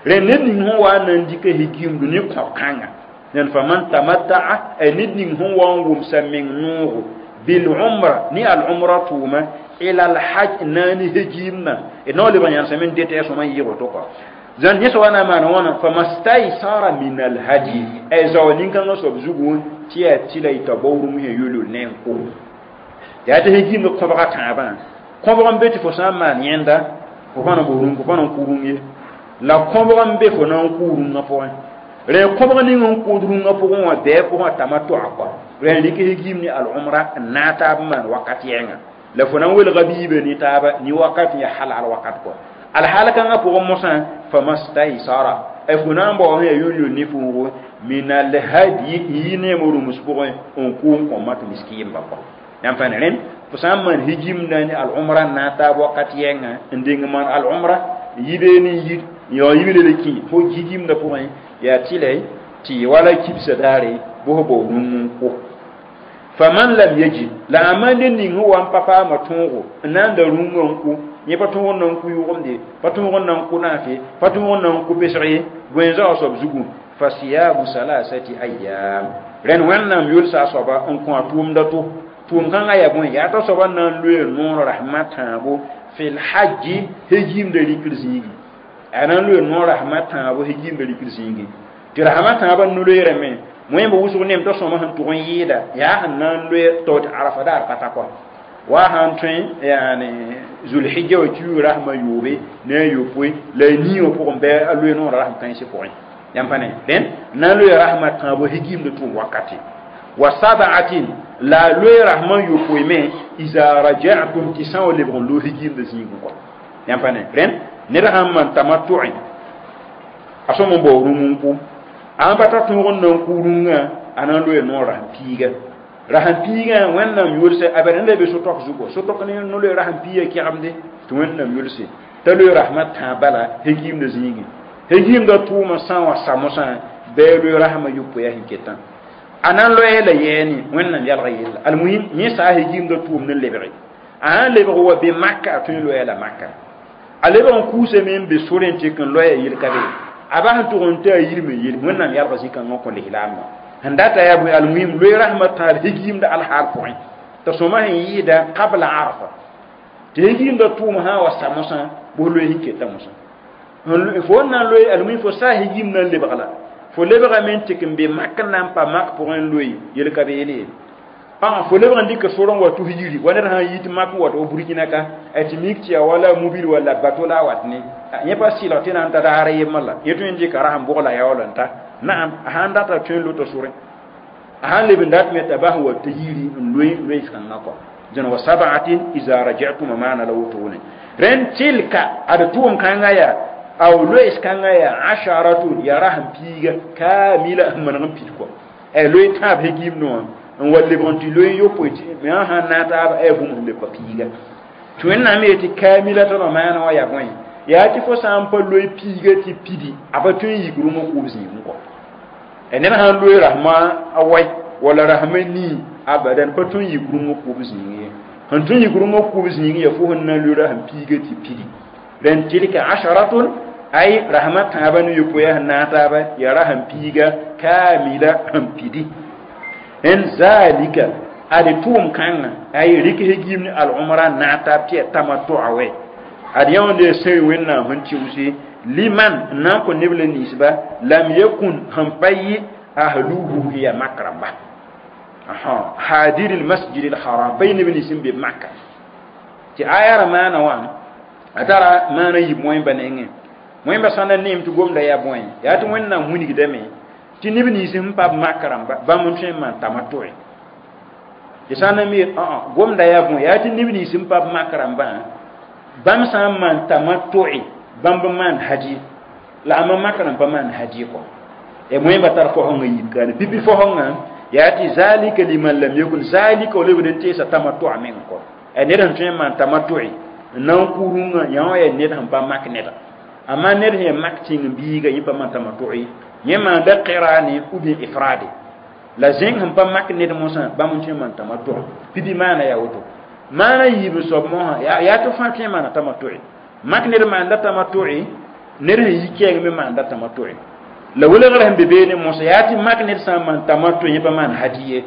rẽ ned ning sẽn wa n na n dɩka hegimdo ne kõb-kãnga ned faman tamatta'a ay ned ning sẽn wa n wʋmsa meng noogo bil umra ni al umra tʋʋma ila al hajj naani hegimna d na wa lebg yãnsame n detɛ sõma n yɩg woto kɔ zãn yẽ soaba na n maan wãna famastaysara min al hadi ay zao nin-kãngã soab zugu tɩ yaa tɩla y t'a bao rũm sẽn yol-yol ne n kʋ yaa tɩ hegimd kõbga tãabã kõbg n be tɩ fo sã n maan yẽnda fo pa na bo rũm fo pa na n kʋ rũm ye la kõbg n be fo na n kʋ rũngã pʋgẽ rẽ kõbg ning n kʋʋd rũngã pʋgẽ wã bɛɛ pʋgẽ tamatʋa kɔ rẽ n rɩk hegim ne al-umra n naag taab n maan wakat yɛnga la fo na n welga biibã ne taaba ne wakat n yaa halal wakat kɔ alhaal kãngã pʋgẽ mosã famastaysara ay fo na n bao sẽn yaa yol-yol ne fuugo min alhadi n yi neem rũms pʋgẽ n kʋ n kõ mak miskiimba kɔ yãmb pa ne rẽnd fo sã n maan higimda ne al-umra n naag taab wakat yɛnga n deng maan al-umra n yi beene n yir n yaoog yibre le kẽ fo higimda pʋgẽ yaa tɩlɛ tɩ wala kibsa daare bʋ fo bao rũng n kʋ faman lam yajid la a maan ned ning sẽn wa n pa paama tõogo n na n da rũngã n kʋ yẽ pa tõog n na n kʋ yʋgemde pa tõog n na n kʋ naase pa tõog n na n kʋ pesg ye bõe zaoog soab zugu fa siyamu salasati ayyam rẽnd wẽnnaam yolsa a soaba n kõ a tʋʋmda to tʋʋm kãngã yaa bõe yaa t'a soaba na n loe noor rasmã tãabo fil hajji hegimda rikr zĩigi a na n loe noor rasmã tãabo hegimda rikr zĩigi tɩ rasmã tãabã no-loeerame wẽmb wʋsg nem t'a sõma sẽn tʋg n yɩɩda yaa sẽn na n loe tao tɩ arafa daar pa ta kɔ wa sãn tõe yaani zulhijja wa kiuug rasmã yoobe ne a yopoe la a nii wã pʋgẽ bɩ a loe noorã rasm kãensɩ pʋgẽ yãmb pa ne rẽnd na n loe rasmã tãabo hegimda tʋʋm wakate wa sab'atin la a loe rasmã yopoe me iza raja'tum tɩ sã wa lebg n loog hegimda zĩigẽ kɔ yãmb pa ne rẽnd ned sãn maan tamattu'ẽ a sõm n bao rũm n kʋ a pa ta tõog n na n kʋ rũngã a na n loe noor rasem piiga rasem piigã wẽnnaam yʋlse a bad ned be so-tok zugu so-tok ne no-loe rasem piiga kɛgemde tɩ wẽnnaam yʋlse t'a loe rasmã tãab bala hegimda zĩigẽ hegimda tʋʋmã sã n wa sa mosã bɩ a loe rasmã yopoe a sẽn ketã a na n loɛɛ la yɛɛne wẽnnaam yalga yella almuhim yẽ saa hegimda tʋʋm ne lebge a sãn lebg wa be maka a tõe n loɛɛ la maka a lebg n kʋʋsame n be sorẽ n tɩk n loɛɛ yel ka be a bas n tʋg n tɩ a yirme yel wẽnnaam yalga zĩ-kãngã kõ lislaambã sẽn data yaa bõe almuhim loe rasmã tãab hegimda alhaal pʋgẽ t'a sõma sẽn yɩɩda qabla arfa tɩ hegimda tʋʋm sã n wa sa mosã bʋs loe sẽn keta mosã fo n na n loe almuhim fo saa hegim na n lebg la fo lebgame n tɩk n be mak n na n pa mak pʋgẽ n loe yel ka beele ye fo lebg n dɩka sor n wa tus yiri wa ned sã n yit mak n wat wa burkina ka a tɩ mik tɩ yaa wala mobile walla bato la a wat ne yẽ pa sɩlg tɩ na n ta daar yembr la yẽ tõe n dɩka rasem bʋg la yaool n ta naam a sãn data tõe n lota sorẽ a sãn leb n dat me t'a bas n wa tɩ yiri n loe loees-kãngã kɔ dẽn wa sab'atin iza raja'tum maana la wotone rẽnd tilka ad tʋʋm kãngã yaa aw loees-kãngã yaa asharatun yaa rasem piiga kamila n maneg n pid kɔ ay loe tãab hegim noã n wa lebg n tɩ loe yopoe tɩ me sã n naag taab ay bũmb sẽn leb pa piiga tɩ wẽnnaam yetɩ kamila t'a maana wã yaa bõe yaa tɩ fo sã n pa loe piiga tɩ pidi a pa tõe n yik rũmã kʋʋb zĩigẽ kɔ ned sãn loe rasmã a wai walla rasmã nii abadan pa tõe n yik rũmã kʋʋb zĩigẽ ye sẽn tõe n yik rũmã kʋʋb zĩigẽ yaa fo sẽn na n loe rasem piiga tɩ pidi rẽnd tilka asharatun ay rasmã tãabã ne yopoe sẽn naag taaba yaa rasem piiga kamila sẽn pidi en zalika ad tʋʋm kãngã ay rɩk hegim ne al-umra naag taab tɩ yaa tamattu'a wɛ ad yãonde sẽn wẽnnaam sẽn tɩʋse liman n na n kõ neb la ninsba lam yakun sẽn pa yɩ ahluhu hiya mak rãmba hadir al-masjid al-haram pa yɩ neb nins n be maka tɩ aya ra maana wã a tara maana yib moẽmba nengẽ moẽmba sã na neem tɩ gomda yaa bõe yaa tɩ wẽnnaam wilgdame tɩ neb nins sẽn pa b mak rãmba bãmb n tõe n maan tamatʋe tɩ sã n na mi gomda yaa bõe yaa tɩ neb nins sẽn pa b mak rãmbã Bãmb sã n maan tamattu'i bãmb n maan haji la a makr n pa maan haji kɔ e wẽmba tar fosẽngã yib kaane pipi fosẽngã yaa tɩ zalika liman lam yakun zalika wa lebd n teesa tamattu'a meng kɔ a ned sẽn tõe n maan tamattu'i n na n kʋ rũngã yã wã yaa ned sẽn pa mak neda amma ned sẽn yaa mak tĩng biiga yẽ pa maan tamattu'i yẽ maanda qirani ou bien ifrade la zẽng sẽn pa mak ned mosã bãmb n tõe n maan tamattu pipi maana yaa woto maana yiib n soab mosã yaa tɩ fãa tõe n maana tamattu'i mak ned maanda tamattu'i ned sẽn yi kɛɛng me maanda tamattu'i la welgr sẽn be beene mosã yaa tɩ mak ned sã n maan tamattu yẽ pa maan haji ye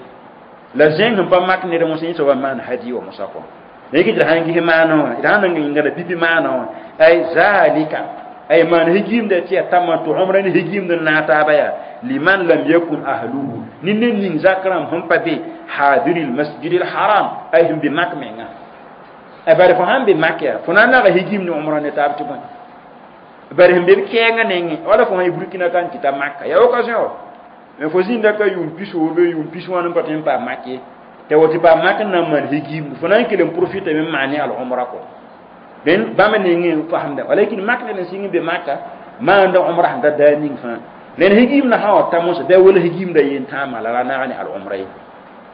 la zẽng sẽn pa mak ned mosã yẽ soaba maan haji wa mosã kɔ yẽk tɩ d sãn ges maana wã d sãn nan yĩnga pipi maana wã ay zalika ay maan higimda tɩ yaa tamattu umra ne higimd n naag taaba yaa liman lam yakun ahluhu ne ned ning zak rãmb sẽn pa be hadiri lmasjid lharam ay sẽn be mak menga ay bare fo sãn be mak yaa fo na n naga higim ne umra ne taab tɩ bõe bare sẽn be b kɛɛngã nengẽ wala fo sã yi Burkina ka n kɩta Maka yaa occasion wa mais fo zĩnda ka yʋʋm pisoorbe yʋʋm pis wãn n pa tõe n paam mak ye tɩ woto paam mak n na n maan higimd fo na n kell n profita me n maan ne al umra kɔ dẽn bãmb nengẽ n fasemda walakin mak ned n sɩng n be maka maanda umra sẽn ta daa ning fãa rẽnd higimdã sã wa ta mosã bɩ a wala higimdã yen tãamã la ra naag ne al umra ye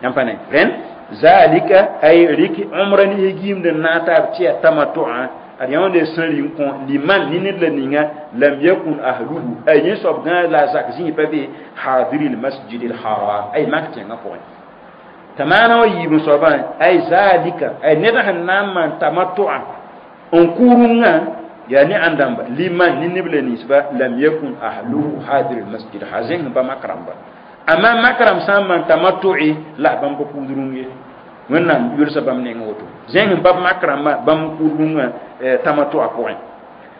yãmb pa ne rẽnd zalika ay rɩk umra ne higimd n naag taab tɩ yaa tamattu'a ad yãonde sẽn rɩ n kõ liman ne ned la ninga lam yakun ahluhu ay yẽ soab gãag la a zak zĩig pa be hadiri lmasjid lharam ay mak tẽngã pʋgẽ t'a maana wã yiib n soabã ay zalika ay ned sẽn na n maan tamattu'a n kʋ rũngã yaa ne ãn-dãmba liman ne neb la ninsba lam yakun ahluhu hadir lmasjid ha zẽng sẽn pa mak rãmba amma mak rãmb sã n maan tamattu'i la bãmb pa kʋʋd rũng ye wẽnnaam yʋlsa bãmb neng woto zẽng sẽn pa mak rãmbã bãmb kʋʋd rũngã tamattu'a pʋgẽ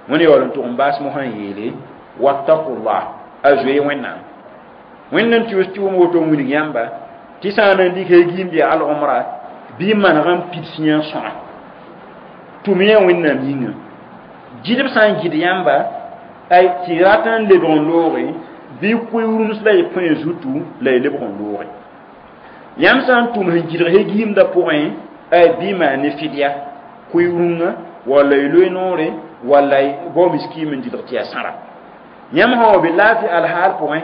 wẽnd yaool n tʋg n baas mosã n yeele wattaqullah a zoe wẽnnaam wẽnd n tɩ tɩ wʋm woto n wilg yãmba tɩ sã n na n dɩk hegimb yaa al umra bɩ maneg n pids yã sõa tʋm yã wẽnnaam yĩnga gɩdb sã n gɩd yãmba ay tɩ rat n lebg n looge bɩ koe rũms la y põe zutu la y lebg n looge yãmb sã n tʋm sẽn gɩdg hegiimdã pʋgẽ ay bɩ maan ne fɩdya koe rũngã walla y loe noore walla y bao miskiim n dɩlg tɩ yaa sãra yãmb sã wa be laafɩ alhaal pʋgẽ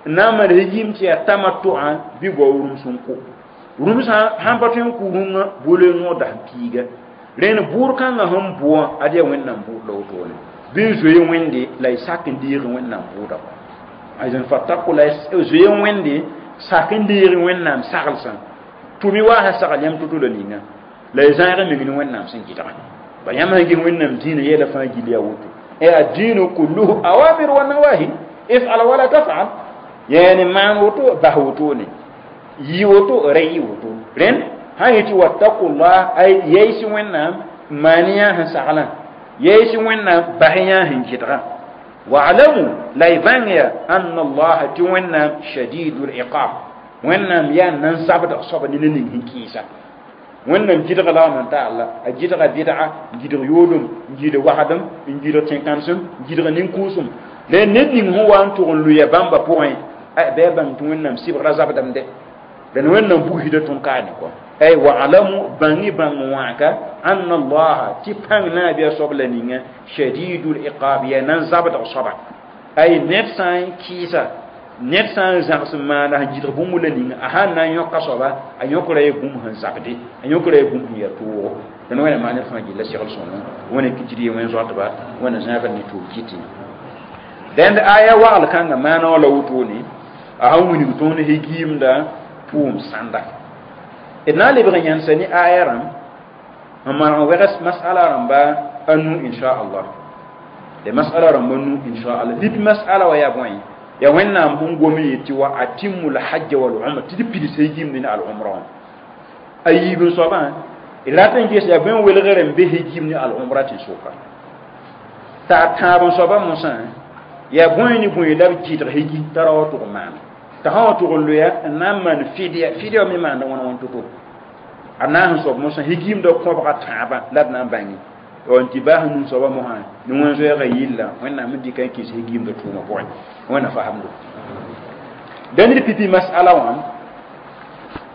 n na n maan hegiim tɩ yaa tamattu'a bɩ bao rũms n kʋ rũms sãn pa tõe n kʋ rũngã bolo noor dasem piiga rẽnd bʋʋr kãngã sẽn bʋ wã ad yaa wẽnnaam bʋʋd la wotone bɩ n zoe wẽnde la y sak n deeg wẽnnaam bʋʋda azan fattaqu la zoe wẽnde sak n deeg wẽnnaam saglsã tʋm-y wa sã sagl yãmb to-to la ninga la y zãag meng ne wẽnnaam sẽn gɩdga ba yãmb sãn ges wẽnnaam dĩinã yɛla fãa gill yaa woto e addiinu kulluhu awamir wa nawahi ifal wala tafal yaani maan woto bas wotone yi woto ra yɩ woto rẽnd sã yetɩ wattaqullah ay yɛɩs wẽnnaam maan yã sẽn saglã yɛɩs wẽnnaam bas yã sẽn gɩdga wa'lamu la y bãng ya anna allaha tɩ wẽnnaam shadidul iqab wẽnnaam yaa nan-zabdg soaba ne ning sẽn kɩɩsa wẽnnaam gɩdga la wã ta alla a gɩdga bɩdga n gɩdg yoodem n gɩdg wagdem n gɩdg tẽn-kãnsem n gɩdg nin-kʋʋsem la ned ning sẽn wa n tʋg n lʋya bãmba pʋgẽ bɩ a bãng tɩ wẽnnaam sɩbgra zabdame dẽn wẽnnaam bugsda tõnd kaane kɔ ay wa'lamu bãng-y bãng wãaka anna allaha tɩ pãng naabɩa soab la ninga shadidul iqab yaa nan-zabdg soaba ay ned sã n kɩɩsa ned sã n zãgs n maana sẽn gɩdg bũmb la ninga a sãn na n yõka soaba a yõkra ya bũmb sẽn zabde a yõkra ya bũmb sẽn yaa toogo dẽn wẽna maan ned fãa gilla segl sõngo wẽna kɩtd ye wẽn zoatba wẽna zãagd ne toog kɩtɩ dẽnd aya wagl kãngã maana wã la wotone a sãn wilg tõnd hegiimda pʋʋm sãnda d na n lebg n yãnsa ne aya rãmb n maneg n wɛgs masala rãmba a nu inchallah d masala rãmba nu inchallah lip masala wa yaa bõe yaa wẽnnaam sẽn gom n yetɩ wa atimu lhajja wal umra tɩ d pids hegiimd ne al umra wã a yiib n soabã d rat n ges yaa bõe welgr n be hegiim ne al umra tẽn-sʋka t'a a tãab n soabã mosã yaa bõe ne bõe la b gɩdg hegi t'a ra wa tʋg n maana t'a sã wa tʋg n loya n na n maan fɩdya fɩdya wã me maanda wãn wãn to-to a naas n soab mosã hegiimdã kõbga tãabã la d na n bãnge n tɩ baas num soabã mosã ne wẽn-zoɛɛgã yilla wẽnnaam n dɩka n kɩs hegiimdã tʋʋmã pʋgẽ wẽnna fasemdo dẽnd d pipi masala wã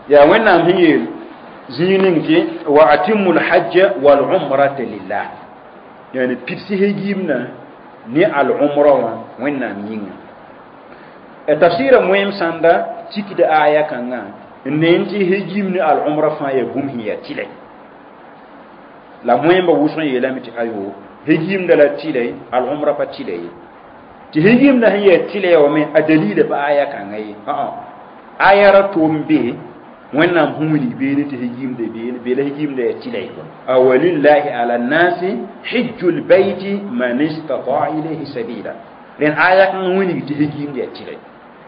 yaa wẽnnaam sẽn yeel zĩig ning tɩ wa atimu lhajja walumrata lillah Yani pidsi hegimna ne al umra wã wẽnnaam yĩnga tafsɩɩra moem sãnda tikda aya kãngã n ne tɩ hegim ne al umra fãa yaa bũmb sẽn yaa tɩlɛ la moẽmba wʋsg n yeelame tɩ ayo hegimda la tɩlɛ al umra pa tɩlɛ ye tɩ hegimda sẽn yaa tɩlɛ wã me a dalila pa aya kãngã ye aya ra tom be wẽnnaam sẽn wilg beene tɩ hegimda beene bee la hegimda yaa tɩlɛ a walillahi ala nnasi hijju lbayti man istataa ilayhi sabila rẽn aya kãngã wilg tɩ hegimda yaa tɩlɛ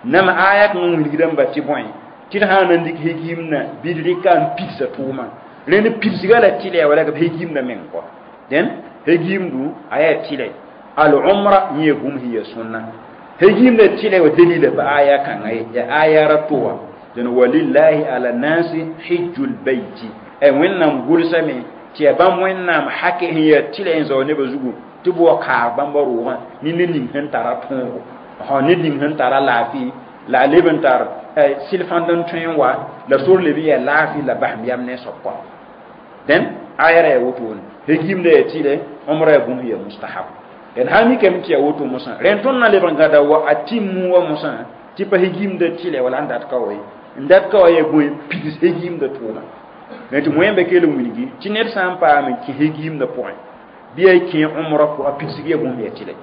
nama aya kãngã wilgdãmba tɩ bõe tɩ d sã n na n dɩk hegimna bɩ d rɩka n pidsa tʋʋma rẽnd pidsga la tɩlɛ wala b hegimda meng kɔ dẽn hegimdu a yaa tɩlɛ al umra yẽ bũmb sẽn yaa sõnna hegimda tɩlɛ wa dalila pa aya kãngã ye yaa aya ra to wã dẽn walillahi ala nasi hijju lbayti ay wẽnnaam gʋlsame tɩ yaa bãmb wẽnnaam hake sẽn yaa tɩlɛ n zao nebã zugu tɩ b wa kaag bãmba roogã ne ned ning sẽn tara tõogo ned ning sẽn tara laafɩ la a leb n tar sɩlfãnd n tõe n wa la sor leb n yaa laafɩ la basem yam ne soab kɔ dẽn aya ra yaa wotone hegimda yaa tɩlɛ umra yaa bũmb yaa mustahab d sã mikame tɩ yaa woto mosã rẽnd tõnd na lebg n gãda wa a tɩm wa mosã tɩ pa hegimda tɩlɛ wala n dat ka wa ye n dat ka wa yaa bõe pids hegimda tʋʋma tɩ wẽmba kell n wilgi tɩ ned sã n paam n kẽ hegimda pʋgẽ bɩ a kẽ umra pʋgã a pidsg yaa bũmb yaa tɩlɛ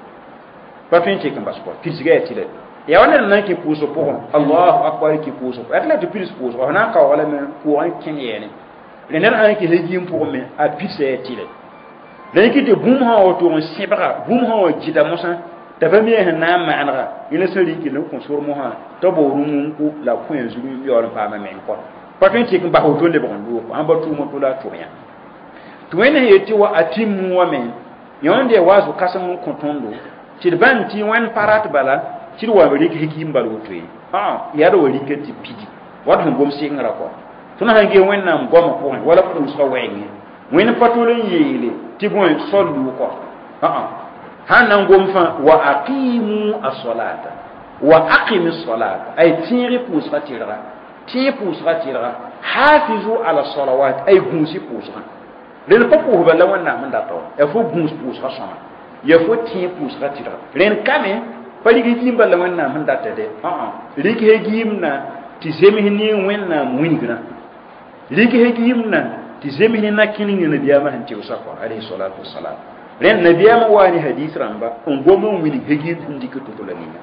pa tõe n tek n bas kɔ pidsga yaa tɩlɛ yaa wa ned n na n kẽ pʋʋsg pʋgẽ allahu akbar kẽ pʋʋsg yaa tɩ la tɩ pids pʋʋsg f na n kaooga lame pʋʋgẽ kẽn yɛɛne rẽ ned sã n kẽ hegim pʋgẽ me a pidsa yaa tɩlɛ la yẽ tɩ bũmb sã wa tʋg n sẽbga bũmb sã wa gɩda mosã t'a pa mi sẽn na n maanega yẽla sẽn rɩk n kõ sor mosã t'a bao rũm n kʋ la kõ a zug n yaool n paama meng kɔ pa tõe n tek n bas woto lebg n loog ãn ba tʋʋm to la a tʋm yã tɩ wẽnd sẽn yet tɩ wa a tɩm wã me yãnd yaa wa zo-kãsem n kõ tõndo tɩ d bãng tɩ wẽnd pa rat bala tɩ d wa rɩk hegim bal woto ye yaa d wa rɩka tɩ pidi wat sẽn gom sɩngrã kɔ tõnd sãn gee wẽnnaam goamã pʋgẽ wala pʋʋsgã wɛɛngẽ wẽnd pa tol n yeele tɩ bõe sollu kɔ sãn na n gom fãa wa aqimu as-salata wa aqimi as-salata ay tẽeg pʋʋsgã tɩrga tẽeg pʋʋsgã tɩrga hafizu ala salawat ay gũusi pʋʋsgã rẽnd pa pʋʋsba la wẽnnaam n data wa yaa fo gũus pʋʋsgã sõma yaa fo tẽeg pʋʋsgã tɩrga rẽnd kame pa rɩk hegimba la wẽnnaam sẽn data dɛ rɩk hegimna tɩ zems ne wẽnnaam wilgrã rɩk hegimna tɩ zems ne na-kẽneng nabiyaamã sẽn tɩʋsa kɔ alayhi salatu wasalam rẽnd nabiyaamã waa ne hadis rãmba n gom n wilg hegim sẽn dɩk to-to la ninga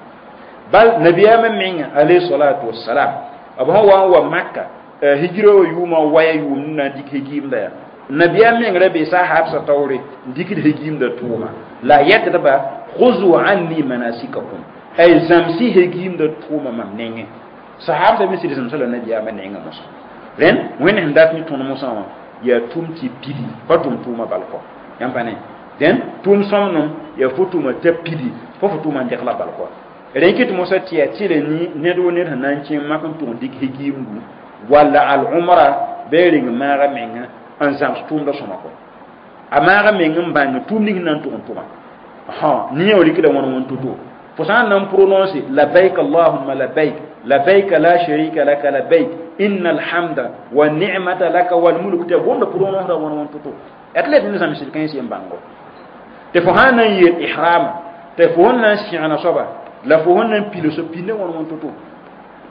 bal nabiyaamã menga alayhi salatu wasalam b sẽn wa n wa maka hijra wa yʋʋmã waya yʋʋmd n na n dɩk hegimda yaa nabiyaam meng ra bee sahabsã taoore n dɩkd hegimda tʋʋma la a yɛtdba khuzu anni manasikakum ay zãmsɩ hegimda tʋʋma mam nengẽ sahabsã me sɩd zãmsa la nabiyaamã nengã mosã rẽnd wẽnd sẽn dat ne tõnd mosã wã yaa tʋm tɩ pidi pa tʋm tʋʋma bal kɔ yãmb pa ne dẽn tʋʋm sõmnem yaa fo tʋma t'a pidi fo fo tʋʋma n degla bal kɔ rẽ kɩt mosã tɩ yaa tɩlɛ ned wo ned sẽn na n kẽ mak n tʋg n dɩk hegimdu walla al umra bɩ reng maaga menga n zãms tʋʋmda sõma kɔ a maaga meng n bãng tʋʋm ning na n tʋg n tʋma ne yã rɩkda wãn wãn to-to fo sã n na n prononce labbaik allahumma labbaik labbaik la sharika laka labbaik inna alhamda wa ni'mata laka wal mulk tɩ gomda prononce ra wãn wãn to-to yaa tɩ la tɩ ne zãmsd kãens yen bãngo tɩ fo sã n na n yeel ihrama tɩ fo sẽn na n sẽgna soaba la fo sẽn na n pil so pinde wãn wãn to-to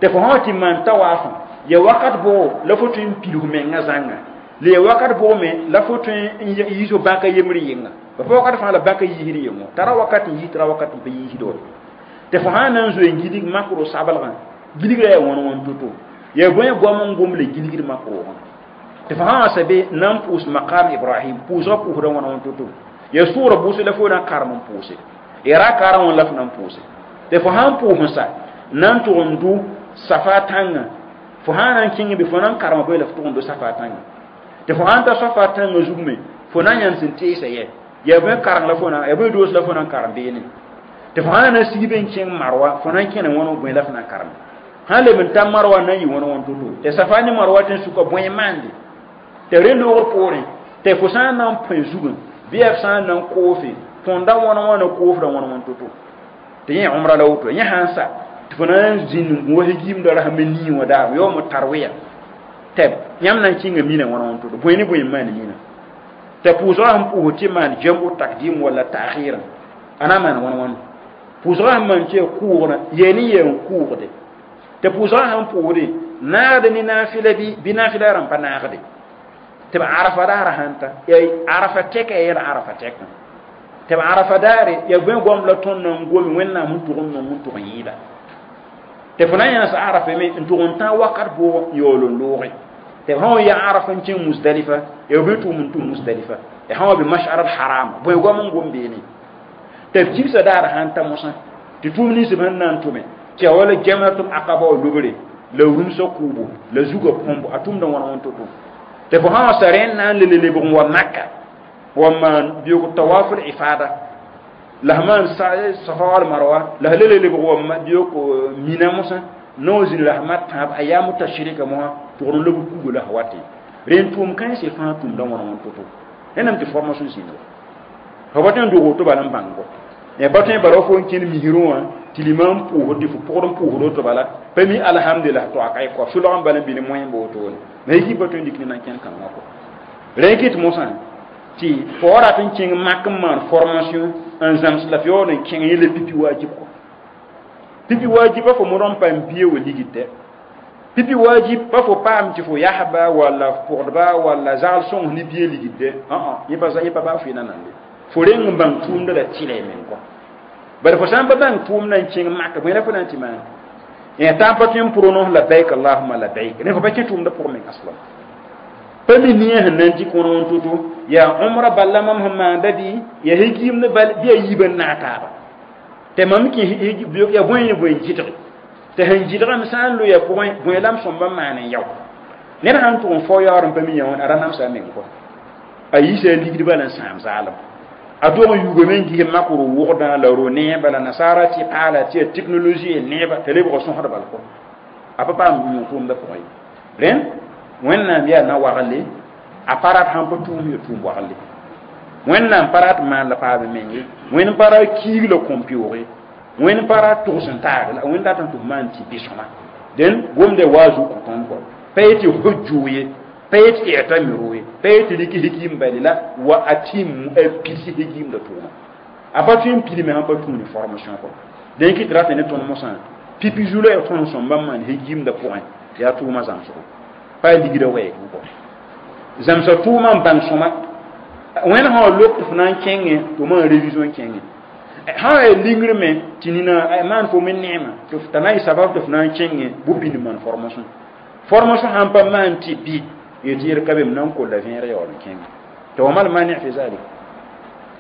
tɩ fo sã wa tɩ maan tawaafã ya wakat bʋgo la fo tõe n pil f menga zãnga la ya wakat bʋg me la fo tõe n yiis f bãka yembr yɩnga ba pa wakat fãa la bãka yiisd yengo tara wakat n yiis tara wakat n pa yiisd wa tɩ fo sã n na n zoe n gilg makro sablgã gilgrã yaa wãn wãn to-to yaa bõe goam n gom la gilgd makroogã tɩ fo sã wa sabe na n pʋʋs maqam ibrahim pʋʋsgã pʋʋsda wãn wãn to-to yaa sʋʋra bʋʋse la fo na n karem n pʋʋse ya ra karem wã la fo na n pʋʋse tɩ fo sã n pʋʋs n sa na n tʋg n dʋ safa tãngã fo sã na n kẽng be fo na n karema bõe la fo tʋg n dʋ safa tãngã tɩ fo sã n ta safa tãngã zug me fo na n yãnd sẽn teesa yɛ yaa bõe kareng la fo na yaa bõe doos la fo na n karem beene tɩ fo sã na sig be n kẽng marwa fo na n kẽne wãn bõe la fo na n karem sã leb n ta marwa na n yɩ wãn wãn to-to tɩ safa ne marwa tɩ n sʋka bõe maande tɩ rẽ loogr poorẽ tɩ fo sã n na n põe zugẽ bɩ yaa f sã n na n koofe tõnda wãn wãna koofda wãn wãn to-to tɩ yẽ umra la woto yẽ sã n sa tɩ fo na n zĩnd n gũ hegimda rasem nii wã daam yaoom tarwiya tɩ yãmb na n kẽnga mina wãn wãn to-to bõe ne bõe n maan mina T'a pʋʋsgã sẽn pʋʋs tɩ maan jam'u takdim walla ta'khir, a na maan wãn wãn? Pʋʋsgã sẽn maan tɩ ya kʋʋgrã, yaa ne yaa n kʋʋgde. T'a pʋʋsgã sẽn pʋʋsde naagd ne naafɩla bɩ naafɩla rãmb pa naagde. Tɩ b Arafa daarã sãn ta, yaa Arafa tɛka yaa yɛl Arafa tɛkã. Tɩ b Arafa daare yaa bõe goam la tõnd na n gome Wẽnnaam n tʋg n nong n tʋg n yɩɩda. Tɩ fo na yãs Arafa me n tʋg n tã wakat bʋʋg n yaool n looge. Tɩ b sã wa ya Arafa n kẽng Musdalifa, yaa bõe tʋʋm n tʋm Musdalifa, ya sã wa be Mashar al Haram, bõe goam n gom beene. Tɩ b kibsã daar sãn ta mosã, tɩ tʋʋm nins b sẽn na n tʋme, tɩ ya wala Jamratul Aqaba wa lobre, la rũmsã kʋʋbo, la zugã põmbo, a tʋmda wãna wãn to-to. Tɩ fo sã wa sa rẽnd na n le lebg n wa Maka, wa maan beoog tawaful ifada, la f maan Safa wal Marwa, la f le lebg wa beoog Mina mosã, no zĩn la f mat tãab ayamu tashrika mosã, tʋgd n lob kugo la f wate. Rẽnd tʋʋm kãensẽ fãa tʋmda wãna wãn to-to. Rẽndame tɩ formation zĩnd wa. Fo pa tõe n dog woto bala n bãngo. Ya pa tõe bala fo n kẽnd misrẽ wã tɩ limam pʋʋsd tɩ fo pʋgd n pʋʋsd woto bala, pa mi alhamdulillah to a ka ye kɔ sʋlg n bala n bɩ ne moẽ b wotone. Ma yiki pa tõe n dɩk ne na n kẽnd kãngã kɔ. Rẽ kɩt mosã tɩ fo wa rat n kẽng mak n maan formation n zãms la f yaool n kẽng yẽla pipi wajib kɔ. Pipi wajib pa fo modg n paam bia wa ligd. Pipi wajib pa fo paam tɩ fo yasba walla pʋgdba walla zagl sõng ne bia ligd. Yẽ pa baa fo yẽna nande. Fo reng n bãng tʋʋmda la tɩla y meng kɔ. Bari fo sã n pa bãng tʋʋmda n kẽng mak, bõe la fo na n tɩ maan? Tã n pa tõe n pʋrnos labbaik allahuma labbaik. Ne fo pa kẽ tʋʋmda pʋgẽ meng aslam. Pa mi nia sẽn na n dɩk wãn wãn to-to, yaa umra bala mam sẽn maanda bɩ, yaa higimd bal bɩ a yiibã n naag taaba. Tɩ mam kẽ yaa bõe ne bõe n gɩdge. Tɩ sẽn gɩdgame sã n loya pʋgẽ, bõe la m sõmba n maan n yao. Ned sãn tʋg n fao yaoor n pa mi yã wãn, a ra namsa a meng kɔ. A yiisa a ligd bala n sãam zaalem. A dog n yugame n ges mak ro-wʋgdã la ro-neeba la nasaara tɩ paala tɩ ya technologie neeba t'a lebg sõsd bal kɔ. A pa paam yũ tʋʋmdã pʋgẽ ye. Rẽnd Wẽnnaam yaa na-wagle, a pa rat sãn pa tʋʋm ya tʋʋm wagle. Wẽnnaam pa rat maan la paam meng ye, Wẽnd pa ra kiig la kõn-pɩʋʋg ye, Wẽnd pa ra tʋgs n taag la Wẽnd dat n tɩ f maan tɩ bɩ-sõma. Dẽn gomda waa zug kõ tõnd kɔ. Pa yetɩ hujju ye, pa yetɩ i'tamiru ye, pa yetɩ rɩk higim bali la wa atim a pidsi higimda tʋʋma. A pa tõe n pidme sãn pa tũu ne formation kɔ. Dẽn kɩ tɩ rat ne tõnd mosã, pipi zu la ya tõnd sõmba n maan higimda pʋgẽ, yaa tʋʋma zãmsgo. Pa ligda wɛɛg kɔ. Zãmsa tʋʋma n bãng sõma. Wẽnd sã wa lok tɩ fo na n kẽngẽ, tɩ maan révision kẽngẽ. Sã wa yaa lingr me tɩ nina maan fo me neema, tɩ t'a na n yɩ sabab tɩ fo na n kẽngẽ bʋ-pĩnd maan formation. Formation sãn pa maan tɩ bɩ, yetɩ yel ka be m na n kolla vẽer yaool n kẽngẽ. Tɩ wa mal mani fi zalik.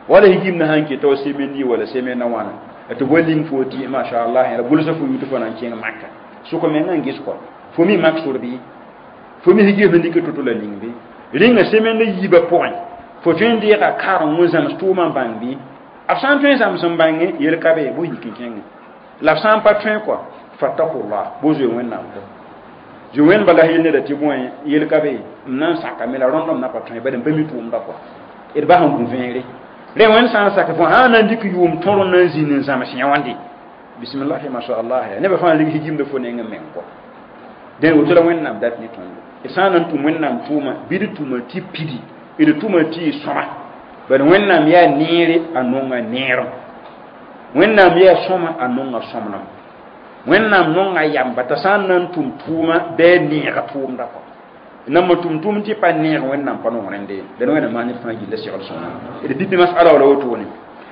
Wala higim na sãn ket wa semaine yi wala semaine na wãna, tɩ bõe ling fo tɩ masha Allah la gʋlsa fo yut fo na n kẽng Maka. Sʋk mengã n ges kɔ. Fo mi mak sor bɩ? Fo mi higim sẽn dɩk to-to la ning bɩ? Rĩnga semaine yiibã pʋgẽ, fo tõe n deega kareng n zãms tʋʋmã n bãng bɩ? B sã n tõe n zãms n bãnge, yel ka be, bʋ yik n kẽngẽ. La b sã n pa tõe kɔ, fattakullah, bʋ zoe Wẽnnaam kɔ. Zoe wẽnd bala yel neda tɩ bõe, yel ka be, m na n sakame la rõnd m na pa tõe, bala m pa mi tʋʋmda kɔ. D bas n gũ vẽegre. Rẽ wẽnd sã n sak fo sã n na n dɩk yʋʋm tõr n na n zĩnd n zãms yã wãnde. Bismillahi masha Allah, nebã fãa lig higimda fo neng n meng kɔ. Dẽn woto la Wẽnnaam dat ne tõndo. D sã n na n tʋm Wẽnnaam tʋʋma, bɩ d tʋma tɩ pidi, d tʋma tɩ y sõma. Bala Wẽnnaam yaa neere, a nonga neerem. Wẽnnaam yaa sõma, a nonga sõmnem. Wẽnnaam nonga yamba t'a sã n na n tʋm tʋʋma bɩ a neega tʋʋmda kɔ. Nam tʋm tʋʋm tɩ pa neeg Wẽnnaam pa nong rẽnde. Dẽn Wẽnnaam maan ned fãa gilla segl sõma. D pipi masala wala wotone.